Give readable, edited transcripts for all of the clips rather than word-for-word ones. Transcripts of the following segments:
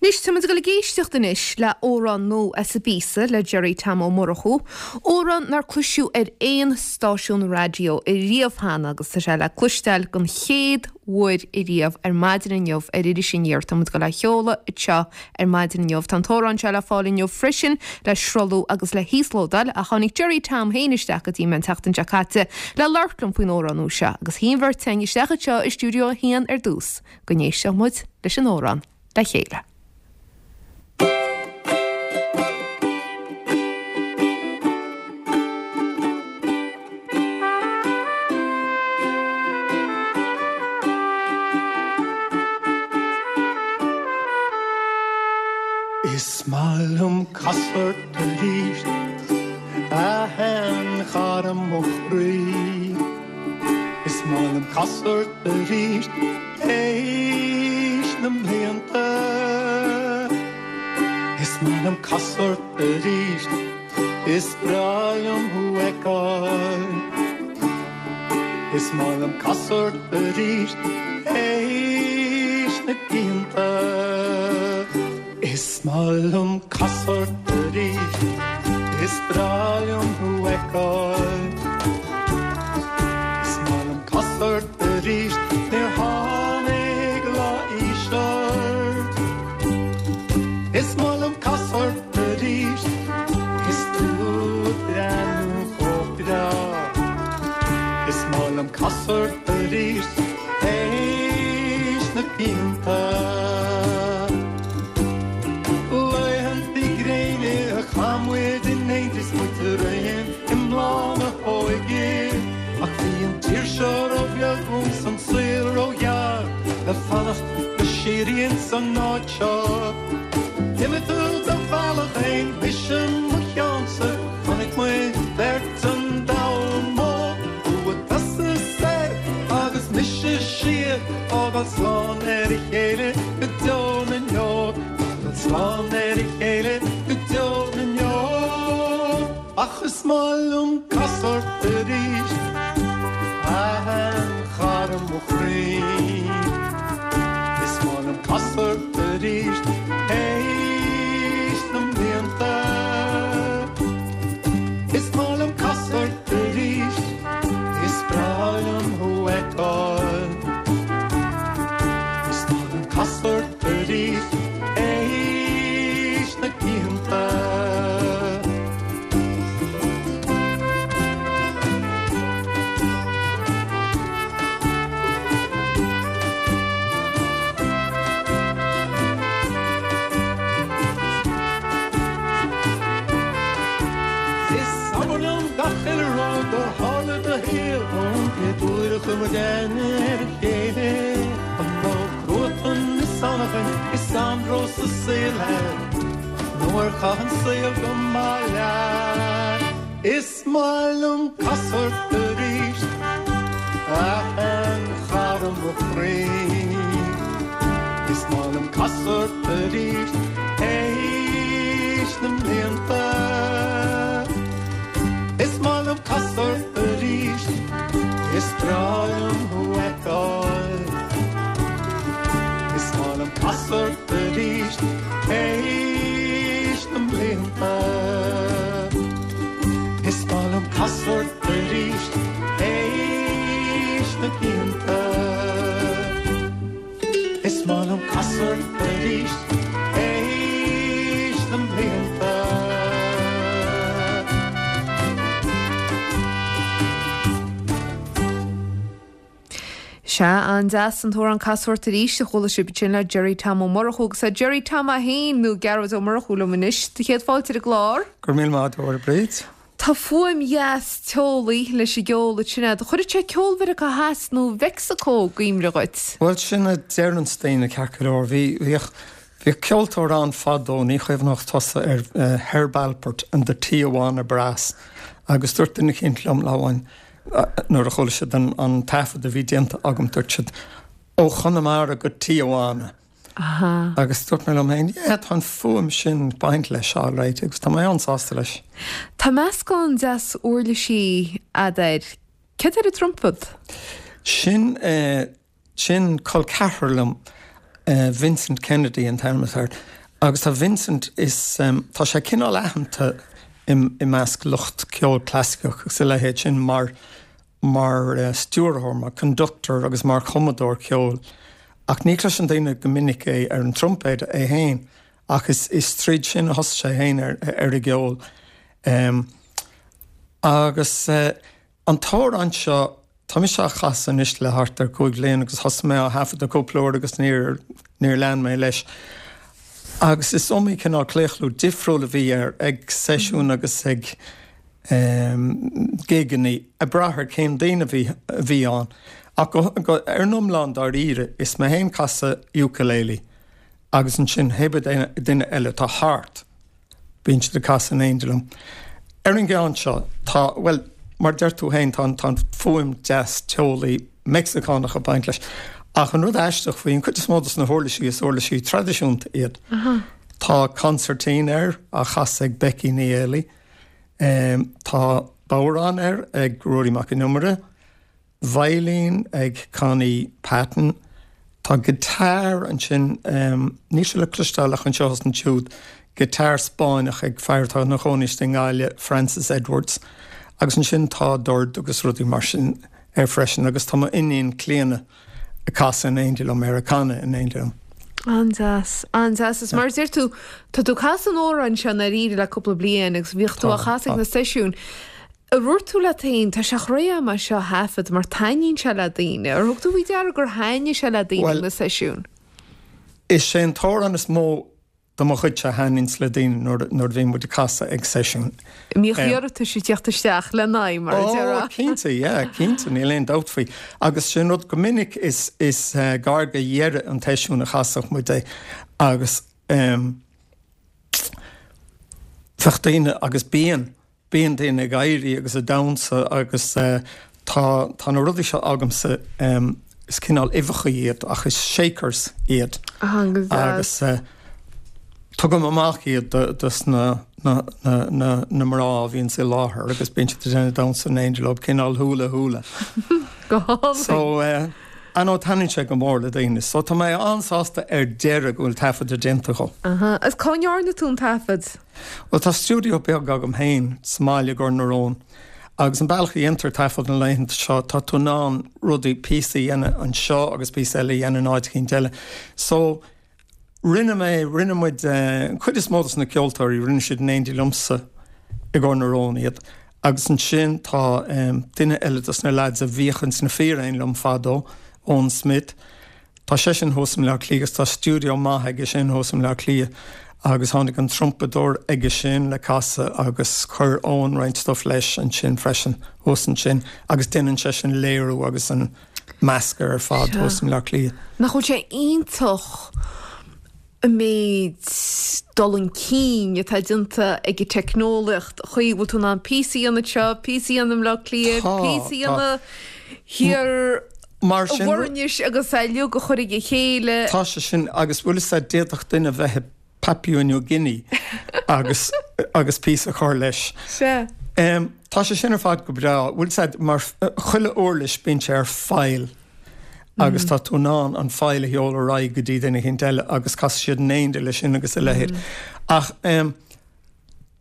Anois, tá muid ag dul ag éisteacht anois le amhrán nua as an bpíosa le Gerry Tom Ó Murchú, amhrán nár cloiseadh ar aon stáisiún raidió ariamh cheana agus tá sé le cloisteáil don chéad uair ariamh ar maidin inniu ar Iris Aniar. Tá muid ag dul é a sheoladh anseo ar maidin inniu. Tá an t-amhrán seo le fáil inniu freisin le sruthlú agus le híoslódáil ach tháinig Gerry Tom féin isteach go dtí mé an tseachtain seo caite le labhairt liom faoin amhrán nua seo agus shuigh an bheirt againn isteach anseo i Stiúideo 1 ar dtús go n-éistfeadh muid leis an amhrán. le chéile. Is maith liom casadh ort arís, a sheanchara mo chroí. Is maith liom casadh ort arís. Théis na mblianta Is maith liom casadh ort arís Is breá liom thú fheiceáil Is maith liom casadh ort arís Théis na blianta Is maith liom casadh ort arís Is breá liom thú fheiceáil Is maith liom casadh ort Arís níor tháinig lá aois ort. Is maith liom casadh ort arís Is tú ag breathnú chomh breá. Is maith liom casadh ort arís Théis na blianta. Laethanta gréine a chaith muid in éindí 's muid araon i mbláth na hóige. Ach bhí an tír seo ró-bheag dúinn 's an saol ró-ghearr le fanacht go síoraí ins an áit seo. D'imigh tú do bhealach fhéin, mise mo cheannsa, chonaic muid beirt an domhan mór. Tú ag tosú soir agus mise siar, fágáil slán ar a chéile go deo na ndeor, fágáil slán ar a chéile go deo na ndeor. Ach is maith liom casadh ort arís, a sheanchara mo chroí. Is maith liom casadh ort arís, théis na mblianta. Is maith liom casadh ort arís, is breá liom thú fheiceáil. Is maith liom casadh ort arís, théis na blianta. Is abair liom gach uile rud a tharla i do shaol ón gcéad uair a chuir muid aithne ar a chéile. An raibh cruatan is anachain is anró sa saol agat? Nó ar chaith an saol go maith leat? Is maith liom casadh ort arís, a sheanchara mo chroí. Is maith liom casadh ort arís, théis na mblianta. Is maith liom casadh ort arís, is breá liom thú fheiceáil. Is maith liom casadh ort arís. Théis na mblianta Is maith liom casadh ort arís Théis na blianta Is maith liom casadh ort arís Théis na mblianta. Sea, an-deas an t-amhrán Casadh Ort Arís a chuala sibh ansin le Gerry Tom Ó Murchú agus tá Gerry Tom é féin nó Gearóid Ó Murchú liom anois. Do chéad fáilte ar an gclár. Go raibh míle maith agat, a Bhríd. Tá fuaim dheas teolaí leis an gceol ansin agat. Chuirfeadh sé ceol Mheiriceá Theas nó Mheicsiceo i gcuimhne dhuit. Bhuel, sin a deireanns daoine ceart go leor. Bhí, bhíodh, bhíodh ceoltóir ann fadó, ní chuimhneodh tusa air, Herb Alpert and the Tijuana Brass agus dúirt duine eicínt liom lá amháin, Nuair a chuala siad an taifead a bhí déanta agam, dúirt siad, Ó Chonamara go Tijuana. Agus dúirt mé liom féin, yeah, tá an fuaim sin ag baint leis alright agus tá mé an-sásta leis. Tá meascán deas uirlisí a'd air. Céard ar an trumpad? Sin, sin col ceathrar liom. Vincent Kennedy an t-ainm atá air. Agus tá Vincent, is, tá sé cineál aitheanta i measc lucht ceoil clasaiceach agus a leithéid sin mar, mar stiúrthóir, mar conductor agus mar chumadóir ceoil. Ach ní chloiseann daoine go minic é ar an troimpéad é féin. Ach is, is tríd sin a thosaigh sé féin ar, ar an gceol. Agus an t-amhrán seo, tá mise á chasadh anois le thart ar chúig bhliain agus thosaigh mé á thaifeadadh cúpla uair agus níor, níor lean mé leis. Agus is iomaí cineál claochlú difriúil a bhí air ag seisiúin agus ag gigeanna, ag brath ar cén daoine a bhí, a bhí ann. Ach go, go, ar an iomlán dáiríre, is mé féin ag casadh ukulele agus ansin pé duine eile atá thart. Bíonn siad ag casadh in éindí liom. Ar an gceann seo, tá, bhuel, mar a deir tú féin, tá an, tá an fuaim deas teolaí Meicsiceánach ag baint leis. Ach an rud aisteach faoi, an cuid is mó dos na huirlisí, is uirlisí traidisiúnta iad. Tá consairtín air á chasadh ag Becky Ní Éalaí. Tá bodhrán air ag Ruairí Mac Con Iomaire. Veidhlín ag Connie Patton. Tá guitar ansin, níl sé le cloisteáil ach anseo is ansiúd, guitar Spáinneach ag fear atá ina chónaí istigh i nGaillimh, Francis Edwards. Agus ansin tá dord agus rudaí mar sin air freisin agus tá m'iníon Clíona ag casadh in éindí liom air, ag canadh in éindí liom. An-deas, an-deas. Is mar a deir tú, tá tú ag casadh an amhráin seo i ndáiríre le cúpla bliain agus bhíodh tú á chasadh ag na seisiúin. Ar dhúirt tú leat féin, tá sé thar am é seo a thaifead mar taitníonn sé le daoine? Ar thug tú faoi deara gur thaitnigh sé le daoine ag na seisiúin? Is é an t-amhrán is mó de mo chuidse a thaitníonns le daoine nuair a bhíonn muid ag casadh ag seisiún. Bhíodh iarratais ag tíocht isteach le n-aghaidh, mar a déarfá. Ó, cinnte, yeah, cinnte, níl aon dabht faoi. Agus sin rud, go minic is is gar do dheireadh an tseisiúin a chasfadh muid é agus bheadh daoine, agus bíonn, Bíonn daoine ag éirí agus ag damhsa agus tá, tá na rudaí seo agamsa, is cineál uibheacha iad ach is shakers iad agus tugaim amach iad dos na, na, na, na mná a bhíonns i láthair agus bíonn siad ag déanamh damhsa in éindí leo, cineál hula hula. Go hálainn. So, I know taitníonn sé go mór le daoine. So tá mé an-sásta ar deireadh go bhfuil taifeadadh déanta dhó. Aha, agus cá ndearna tú an taifead? Bhuel, tá stiúideo beag agam féin sa mbaile i gCor na Rón agus an bealach a dhéantar taifead na laethanta seo, tá tú in ann rudaí, píosa a dhéanamh anseo agus píosa eile a dhéanamh in áit eicínt eile. So, rinne mé, rinne muid, an chuid is mó dos na ceoltóirí, rinne siad in éindí liomsa i gCor na Rón iad. Agus ansin tá duine eile dos na lads a bhíodh ins na Fíréin liom fadó, Eoin Smith, Tá seisean thuas i mBleá Cliath agus tá stiúideo maith aige sin thuas i mBleá Cliath agus tháinig an trumpadóir aige sin le casadh agus chuir Eoin roinnt stuff leis ansin freisin thuas ansin agus déanann seisean léiriú agus an meascadh ar fad thuas i mBleá Cliath. Nach bhfuil sé iontach an méid dul chun cinn atá déanta ag an teicneolaíocht, an chaoi a bhfuil tú in ann píosa a dhéanamh anseo, píosa a dhéanamh i mBleá Cliath, píosa a dhéanamh thiar Mar sin. Mhuirnis agus é uilig a chur ag a chéile. Tá sé sin, agus bhfuil fhios a'd, d'fhéadfadh duine bheith i Papua New Guinea agus agus píosa a chur leis. Sea. Tá sé sin ar fad go breá, bhfuil fhios a'd, mar chuile uirlis bíonn sé ar file agus tá tú in ann an file a sheoladh ar aghaidh go dtí duine eicínt eile agus casfaidh siad in éindí leis sin agus a leithéid. Ach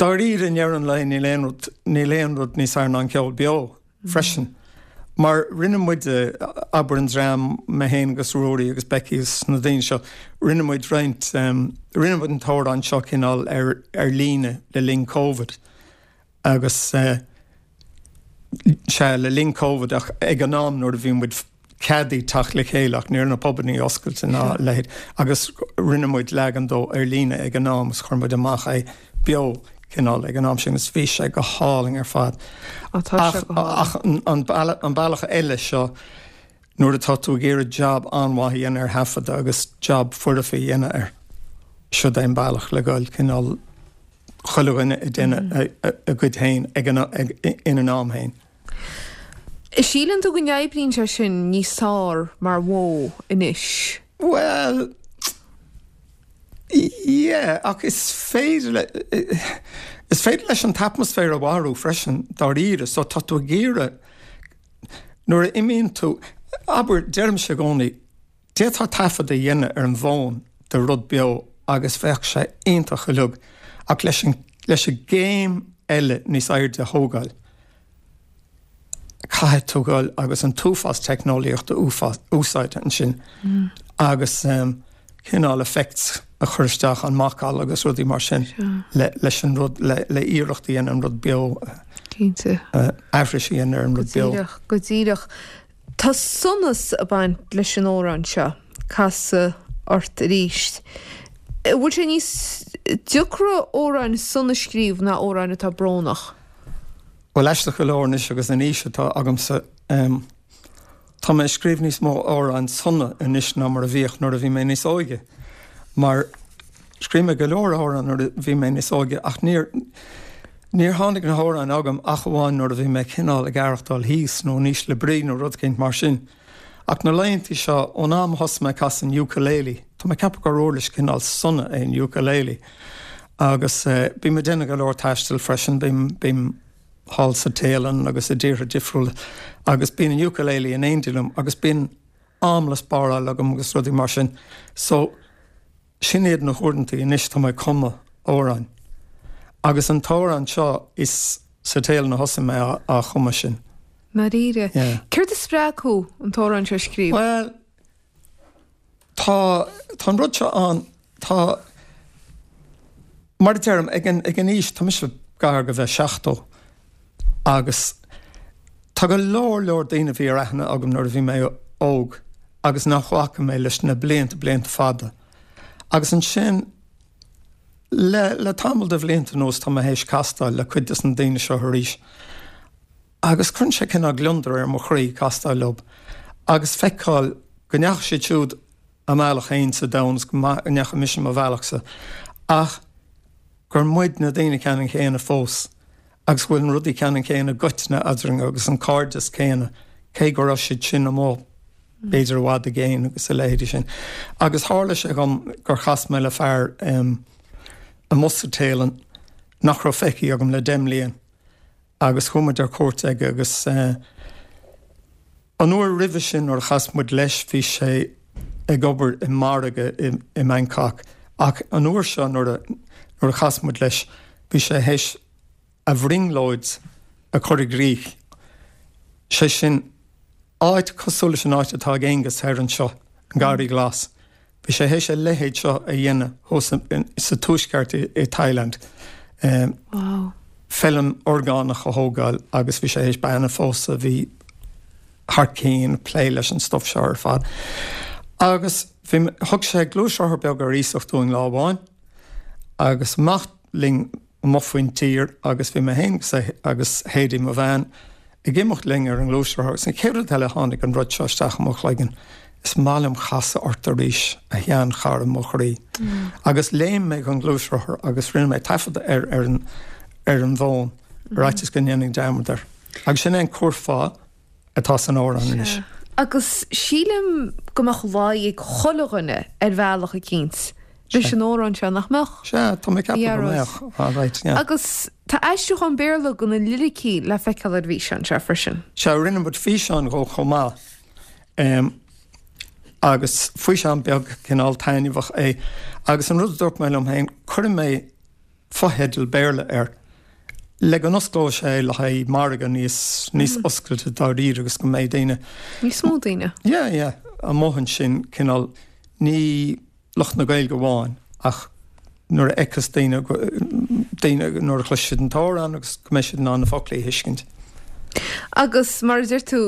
dáiríre i ndeireadh an lae níl aon rud, níl aon rud níos fearr ná an ceol beo. freisin. Mar rinne muid, abair an dream, mé féin agus Ruairí agus Becky agus na daoine seo, rinne muid roinnt, rinne muid an t-amhrán seo cineál ar ar líne le linn Covid agus sea, le linn Covid ach ag an am nuair a bhí muid ceadaithe teacht le chéile ach ní raibh na pubannaí oscailte ná a leithéid agus rinne muid leagan dó ar líne ag an am agus chuir muid amach é beo cineál ag an am sin agus bhí sé go hálainn ar fad. Ach ach an bealach eile seo nuair atá tú ag iarraidh jab an-mhaith a dhéanamh ar thaifeadadh agus jab foirfe a dhéanamh air, siod é an bealach le goil cineál chuile dhuine ag déanamh a gcuid féin ag an ina n-am féin. Síleann tú go n-oibríonn sé sin níos fearr mar mhodh anois? Bhuel, yeah, ach is féidir le, is féidir leis an t-atmaisféar a mharú freisin, dáiríre. So tá tú ag iarraidh, nuair a imíonn tú, abair, deirimse i gcónaí, D'fhéadfá taifead a dhéanamh ar an bhfón de rud beo agus bheadh sé iontach uilig ach leis an leis an gcéim eile níos airde a thógáil, caithfidh tú dhul agus an t-uafás teicneolaíocht a úsáid ansin agus cineál effects a chur isteach, an macalla agus rudaí mar sin leis an rud, le iarracht a dhéanamh an rud beo, aithris a dhéanamh ar an rud beo. Go díreach, go díreach. Tá sonas ag baint leis an amhrán seo, Casadh Ort Arís. An bhfuil sé níos deacra amhráin sona a scríobh ná amhráin atá brónach? Bhuel, aisteach go leor anois agus an aois atá agamsa, tá mé ag scríobh níos mó amhráin sona anois ná mar a bhíodh nuair a bhí mé níos óige. Mar scríobh mé go leor amhrán nuair a bhí mé níos óige ach níor, níor tháinig na hamhráin agam ach amháin nuair a bhí mé cineál ag aireachtáil thíos nó in ísle brí nó rud éicint mar sin. Ach na laethantaí seo, ón am a thosaigh mé ag casadh an ukulele, tá mé ag ceapadh gur uirlis cineál sona é an ukulele, agus bím ag déanamh go leor taistil freisin, bím, bím thall sa Téalainn agus i dtíortha difriúla agus bíonn an ukulele in éindí liom agus bíonn am le spáráil agam agus rudaí mar sin. So, sin iad na huaireantaí anois tá mé ag cumadh amhráin. Agus an t-amhrán seo, is sa Téalainn a thosaigh mé á chumadh sin. ndáiríre. Yeah. Céard a spreag thú an t-amhrán seo a scríobh? Bhuel, tá, tá an rud seo ann, tá, mar a deirim, ag an, ag an aois, tá mise gar go bheith 70 agus tá go leor, leor daoine a bhí ar aithne agam nuair a bhí mé óg agus nach bhfaca mé leis na blianta, blianta fada. Agus ansin, le, le tamall de bhlianta anuas tá mé théis castáil le cuid des na daoine seo arís. Agus cuireann sé cineál gliondar ar mo chroí castáil leo agus feiceáil go ndeachaigh siad siúd a mbealach féin sa domhan is go ndeachaigh mise mo bhealachsa ach gur muid na daoine ceannann céanna fós agus go bhfuil na rudaí ceannann céanna i gcoitinne eadrainn agus an cairdeas céanna cé go raibh siad sin amuigh b'fhéidir i bhfad i gcéin agus a leithéidí sin. Agus tharla sé dhom gur chas mé le fear amuigh sa Téalainn nach raibh feicthe agam le 10 mbliain. agus chuaigh muid ar cuairt aige agus an uair roimhe sin nuair a chas muid leis bhí sé ag obair i margadh i mBangkok ach an uair seo nuair a nuair a chas muid leis bhí sé théis a bhrionglóid a chur i gcrích, sé sin áit cosúil leis an áit atá ag Aengus thoir anseo, an Garraí Glas. Bhí sé théis a leithéid seo a dhéanamh thuas sa tuaisceart i Thailand. Feilm orgánach a thógáil agus bhí sé théis bean a phósadh a bhí thar cinn ag plé leis an stuff seo ar fad. Agus bhí, thug sé gluaisrothar beag ar iasacht dúinn lá amháin agus amach linn amuigh faoin tír agus bhí mé féin agus Haidee, mo bhean, ag imeacht linn ar an ngluaisrothar agus an chéad rud eile tháinig an rud seo isteach i mo chloigeann, is maith liom casadh ort arís, a sheanchara mo chroí. Agus léim mé den ghluaisrothar agus rinne mé taifead air ar an ar an bhfón, ar fhaitíos go ndéanfainn dearmad air. Agus sin é an curfá atá san amhrán anois. Sea. Agus sílim go mbeadh luí ag chuile dhuine ar bhealach eicínt leis an amhrán seo, nach mbeadh? Sea, tá mé ag ceapadh go mbeadh. All right, yeah. Agus tá aistriúchán Béarla de na liricí le feiceáil ar an bhfíseán seo freisin. Sea, rinne muid físeán dhó chomh maith. Agus físeán beag cineál taitneamhach é. Agus an rud a dúirt mé liom féin, cuirfidh mé fotheidil Béarla air le go n-osclóidh sé le haghaidh margadh níos, níos oscailte dáiríre agus go mbeidh daoine. Níos mó daoine. Yeah, yeah, amuigh ansin, cineál, ní lucht na Gaeilge amháin ach nuair a fheicfeas daoine, daoine, nuair a chloisfidh siad an t-amhrán agus go mbeidh siad in ann na foclaí a thuiscint. Agus mar a deir tú,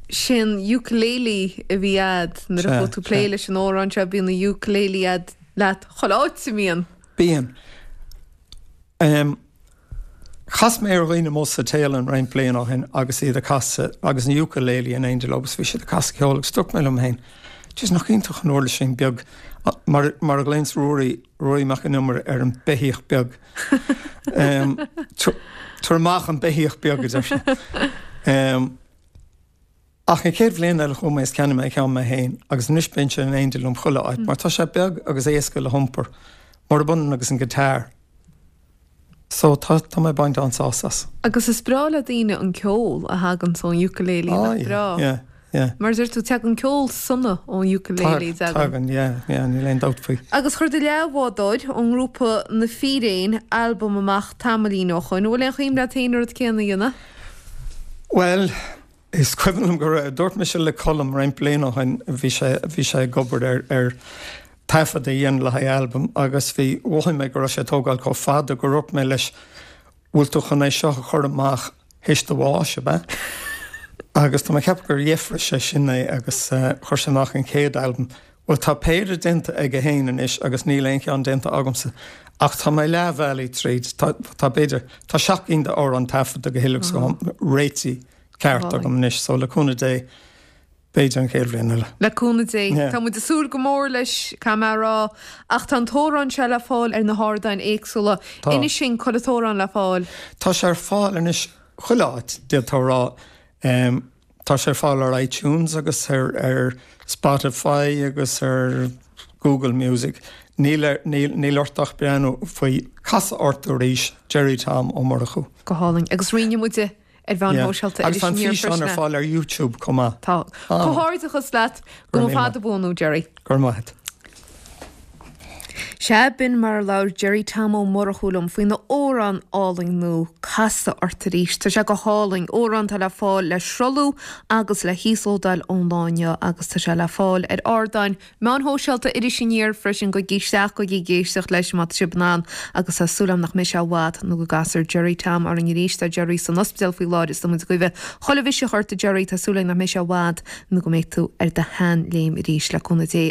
sé an ukulele a bhí a'd nuair a chuaigh tú ag plé leis an amhrán seo, bíonn an ukulele a'd leat chuile áit a mbíonn. Bíonn. Chas mé ar dhaoine amuigh sa Téalainn roinnt bliain ó shin agus iad ag casadh agus an ukulele in éindí leo agus bhí siad ag casadh ceoil agus dúirt mé liom féin, Jeez, nach iontach an uirlis sin beag, mar, mar a ghlaonns Ruairí, Ruairí Mac Con Iomaire ar an beithíoch beag. Tabhair amach an beithíoch beag, a deir sé. Ach an chéad bhliain eile chuaigh mé is cheannaigh mé ceann mé féin agus anois bíonn sé in éindí liom chuile áit mar tá sé beag agus éasca le hiompar, murab ionann agus an guitar. So tá, tá mé ag baint an-sásamh as. Agus is breá le daoine an ceol a thagann ón ukulele, nach breá? Ah yeah, yeah. Yeah. Mar a deir tú, tagann ceol sona ón ukulele, tagann. Tagann, yeah, yeah, níl aon dabht faoi. Agus chuir do leathbhádóir ón ngrúpa Na Fíréin albam amach tamaillín ó shoin. An bhfuil aon chuimhne agat féin an rud céanna a dhéanamh? Bhuel, is cuimhin liom go raibh, dúirt mise le Colm roinnt bliain ó shoin, bhí sé, bhí sé ag obair ar, ar taifead a dhéanamh le haghaidh albam agus bhí, mhothaigh mé go raibh sé ag tógáil chomh fada gur dhúirt mé leis, bhfuil tú chun é seo a chur amach théis do bháis, ab ea? Agus tá mé ag ceapadh gur dheifrigh sé sin é agus chuir sé amach an chéad albam. Bhuel, tá péire déanta aige féin anois agus níl aon cheann déanta agamsa. Ach tá mé leath bhealaigh tríd. Tá, tá b'fhéidir, tá seacht gcinn d'amhráin taifeadta go huile agus go réitithe ceart agam anois, so le cúnamh Dé, B'fhéidir an chéad bhliain eile. Le cúnamh Dé. Tá muid ag súil go mór leis, caithfidh mé a rá. Ach tá an t-amhrán seo le fáil ar na hardáin éagsúla. Tá. Inis dúinn, cá bhfuil an t-amhrán le fáil? Tá sé ar fáil anois chuile áit, d'fhéadfá a rá. Tá sé ar fáil ar iTunes agus ar ar Spotify agus ar Google Music. Níl ar, níl, níl ort ach breathnú faoi 'Casadh Ort Arís', Gerry Tom Ó Murchú. Go hálainn. Agus roinnfidh muid é. ar mheáin shóisialta Agus tá an físeán ar fáil ar YouTube chomh maith. Tá. Comhghairdeachas leat. Go mba fada buan thú, Gerry. Go raibh maith agat. Sea, b'in mar a labhair Gerry Tom Ó Murchú liom faoina amhrán álainn nua, Casadh Ort Arís. Tá sé go hálainn. Amhrán atá le fáil le sruthlú agus le híoslódáil ón lá inniu agus tá sé le fáil ar ardáin Meáin shóisialta Iris Aniar freisin, gabhaigí isteach, gabhaigí ag éisteacht leis má tá sibh in ann agus tá súil agam nach mbeidh sé i bhfad nó go gcasfar Gerry Tom orainn arís. Tá Gerry san ospidéal faoi láthair is tá muid ag guí chuile mhiseach ort a Gerry, tá súil againn nach mbeidh sé i bhfad nó go mbeidh tú ar do sheanléim arís le cúnamh Dé.